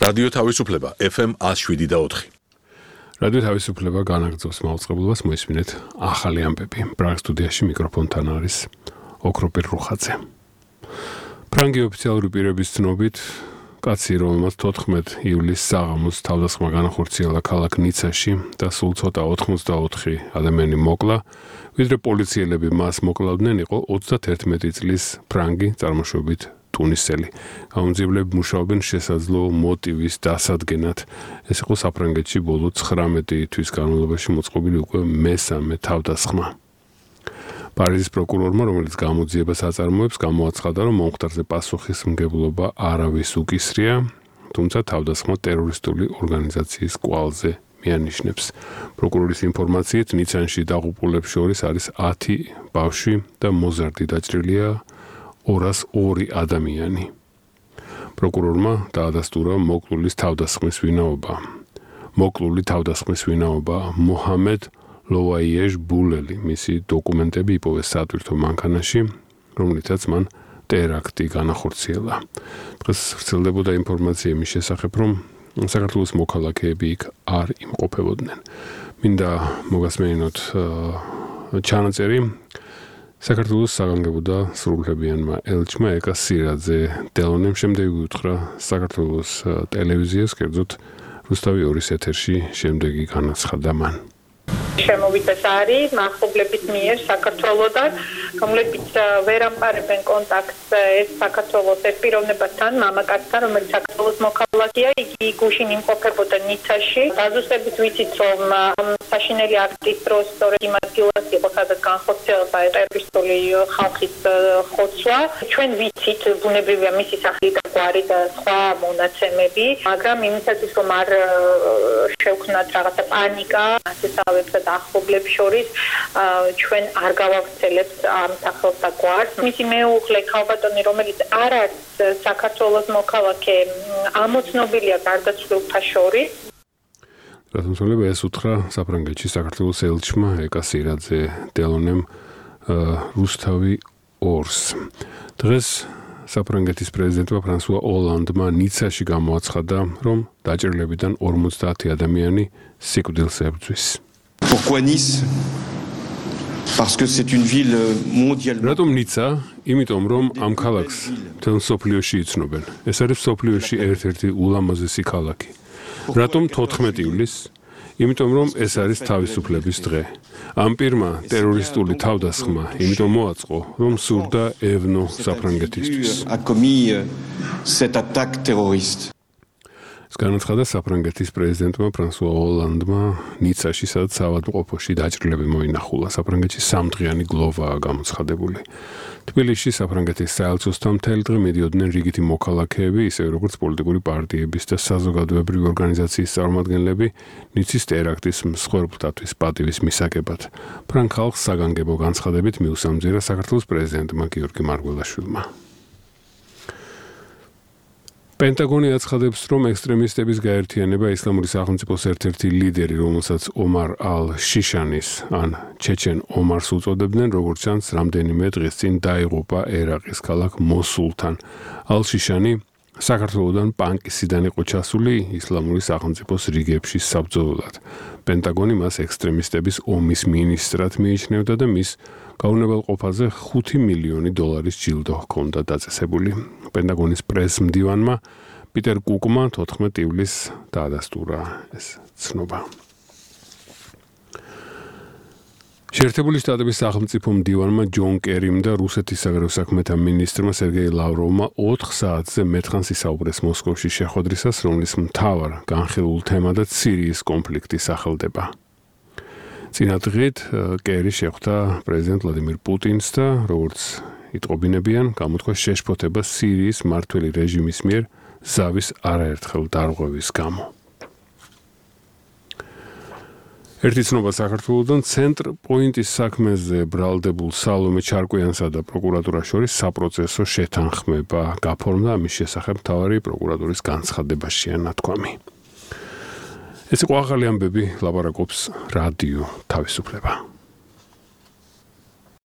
რადიო თავისუფლება FM 107.4. რადიო თავისუფლება განაგრძობს მაუწყებლობას, მოისმინეთ ახალი ამბები. ბრაგ სტუდიაში მიკროფონთან არის ოქროპირ რუხაძე. ფრანგი ოფიციალური პირების ცნობით, კაცი, რომელმაც 14 ივლისს საღამოს თავდასხმა განახორციელა ქალაქ ნიცაში და სულ ცოტა 84 ადამიანი მოკლა, ვიდრე პოლიციელები მას მოკლავდნენ, იყო 31 წლის ფრანგი წარმოშობით ტუნისელი. Გამომძიებლები მუშაობენ შესაძლო მოტივის დასადგენად. ეს იყო საფრანგეთში ბოლო 19 თვის განმავლობაში მოწყობილი უკვე მესამე თავდასხმა. პარიზის პროკურორმა, რომელიც გამოძიებას აწარმოებს, გამოაცხადა, რომ მომხდარზე პასუხისმგებლობა არავის უკისრია, თუმცა თავდასხმა ტერორისტული ორგანიზაციის კვალზე მიანიშნებს. პროკურორის ინფორმაციით, ნიცანში დაღუპულებს შორის არის 10 ბავშვი და მოზარდი დაჭრილია 202 ადამიანი. პროკურორმა დაადასტურა მოკლული თავდასხმის ვინაობა მოჰამედ ლოვაიეჟ ბულელი. მისი დოკუმენტები იპოვეს სატვირთო მანქანაში, რომლითაც მან ტერაქტი განახორციელა. დღეს ვრცელდებოდა ინფორმაცია იმის შესახებ, რომ საქართველოს მოქალაქეები იქ არ იმყოფებოდნენ. მინდა მოგასმენინოთ ჩანაწერი საქართველოს საგანგებო და სრულუფლებიანმა ელჩმა ეკა სირაძე დელონემ შემდეგი უთხრა საქართველოს ტელევიზიას, კერძოდ რუსთავი 2-ის ეთერში შემდეგი განაცხადა მან. შემოვიდეს არის მახლობლების მიერ საქართველოსთან, რომლებიც ვერ ამყარებენ კონტაქტს ეს საქართველოს პიროვნებასთან, მამაკაცთან, რომელიც საქართველოს მოქალაქეა, იგი გუშინ იმყოფებოდა ნიცაში. დაზუსტებით ვიცით, რომ საშინელი აქტის დროს სწორედ იმ ადგილას იყო, სადაც განხორციელდა ტერორისტული ხალხის ხოცვა. ჩვენ ვიცით, ბუნებრივია მისი სახელი და გვარი და სხვა მონაცემები, მაგრამ იმისათვის, რომ არ შევქმნათ რაღაცა პანიკა, ასესავებსა და ახლობლებს შორის, ჩვენ არ გავავრცელებთ ამ სახელს და გვარს. მისი მეუღლე ქალბატონი, რომელიც არ არის საქართველოს მოქალაქე, ამოცნობილია გარდაცვლილთა შორის. რატომსოლება ეს უთხრა საფრანგეთში საქართველოს ელჩმა ეკა სირაძე დელონემ რუსთავი 2-ს. დღეს საფრანგეთის პრეზიდენტმა ფრანსუა ოლანდმა ნიცაში გამოაცხადა, რომ დაჭერილებიდან 50 ადამიანი სიკვდილს ებრძვის. Pourquoi Nice? Parce que c'est une ville mondialement. რატომ ნიცა? იმიტომ რომ ამ ქალაქს მთელ სოფლიოში იცნობენ. ეს არის სოფლიოში ერთ-ერთი ულამაზესი ქალაქი. რატომ 14 ივლისს? იმიტომ რომ ეს არის თავისუფლების დღე. ამ პირმა ტერორისტული თავდასხმა იმიტომ მოაწყო, რომ სურდა ევნო საფრანგეთისთვის. A commis cette attaque terroriste. განაცხადა საფრანგეთის პრეზიდენტმა ფრანსუა ოლანდმა ნიცაში, სადაც საავადმყოფოში დაჭრილები მოინახულა. საფრანგეთში 3 დღიანი გლოვაა გამოცხადებული. თბილისში საფრანგეთის საელჩოსთან მთელი დღე მიდიოდნენ რიგითი მოქალაქეები, ისევე როგორც პოლიტიკური პარტიების და საზოგადოებრივი ორგანიზაციის წარმომადგენლები, ნიცის ტერაქტის მსხვერპლთათვის პატივის მისაგებად. ფრანგ ხალხს საგანგებო განცხადებით მიუსამძიერა საქართველოს პრეზიდენტმა გიორგი მარგველაშვილმა. პენტაგონი აცხადებს, რომ ექსტრემისტების გაერთიანება ისლამური სახელმწიფოს ერთ-ერთი ლიდერი, რომელსაც ომარ ალ-შიშანის ან ჩეჩენ ომარს უწოდებდნენ, როგორც ჩანს, რამდენიმე დღის წინ დაიღუპა ერაყის ქალაქ მოსულთან. ალ-შიშანი საქართველოდან პანკისიდან იყო ჩასული ისლამური სახელმწიფოს რიგებში საბრძოლველად. პენტაგონი მას ექსტრემისტების ომის მინისტრად მიიჩნევდა და მის გაუნებელყოფაზე $5 მილიონი ჯილდო ჰქონდა დაწესებული. პენტაგონის პრესმდივანმა პიტერ კუკმა 14 ივლისს დაადასტურა ეს ცნობა. შეერთებული შტატების სახელმწიფო მდივანმა ჯონ კერიმ და რუსეთის საგარეო საქმეთა მინისტრმა სერგეი ლავროვმა 4 საათზე მეტხანს ისაუბრეს მოსკოვში შეხვედრისას, რომლის მთავარ განხილულ თემადაც სირიის კონფლიქტი სახელდება. წინა დღით კერი შეხვდა პრეზიდენტ ვლადიმირ პუტინს და როგორც იტყობინებიან, გამოთქვა შეშფოთება სირიის მმართველი რეჟიმის მიერ ზავის არაერთხელ დარღვევის გამო. ერთი ცნობა საქართველოდან ცენტრ პოინტის საქმეზე ბრალდებულ სალომე ჩარკვიანსა და პროკურატურას შორის საპროცესო შეთანხმება გაფორმდა, ამის შესახებ მთავარი პროკურატურის განცხადებაშია ნათქვამი. ეს იყო ახალი ამბები, ლაპარაკობს რადიო თავისუფლება.